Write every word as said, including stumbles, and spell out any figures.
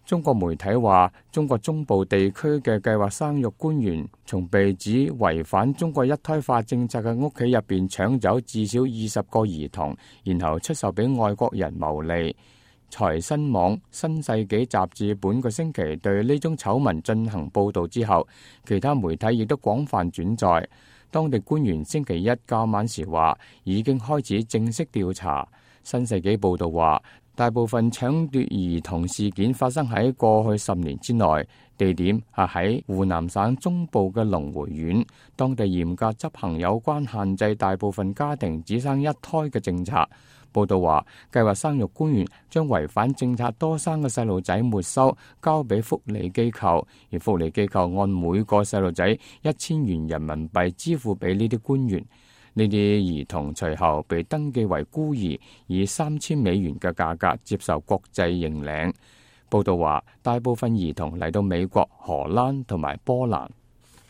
中國媒體話，中國中部地區嘅計劃生育官員從被指違反中國一胎化政策嘅屋企入邊搶走至少二十個兒童，然後出售俾外國人牟利。財新網、新世紀雜誌本個星期對呢宗醜聞進行報導之後，其他媒體亦都廣泛轉載。當地官員星期一較晚時話，已經開始正式調查。新世紀報導話，大部分搶奪兒童事件發生喺過去十年之內，地點係喺湖南省中部嘅龍回縣，當地嚴格執行有關限制大部分家庭只生一胎嘅政策。報道話，計劃生育官員將違反政策多生嘅細路仔沒收，交俾福利機構，而福利機構按每個細路仔一千元人民幣支付俾呢啲官員。呢啲兒童隨後被登記為孤兒，以三千美元嘅價格接受國際認領。報道話，大部分兒童嚟到美國、荷蘭同埋波蘭。